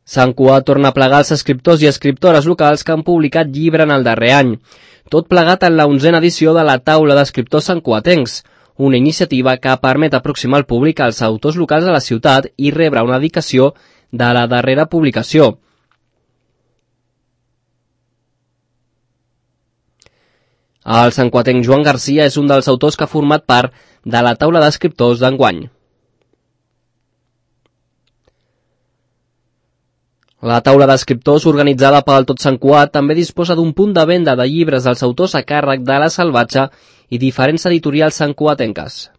Sant Cugat torna a plegar els escriptors i escriptores locals que han publicat llibre en el darrer any. Tot plegat en la 11a edició de la Taula d'Escriptors santcugatencs, una iniciativa que permet aproximar el públic als autors locals de la ciutat i rebre una dedicació de la darrera publicació. El santcugatenc Joan Garcia és un dels autors que ha format part de la Taula d'Escriptors d'enguany. La taula d'escriptors, organitzada pel Tot Sant Cugat, també disposa d'un punt de venda de llibres dels autors a càrrec de La Salvatge i diferents editorials santcugatenques.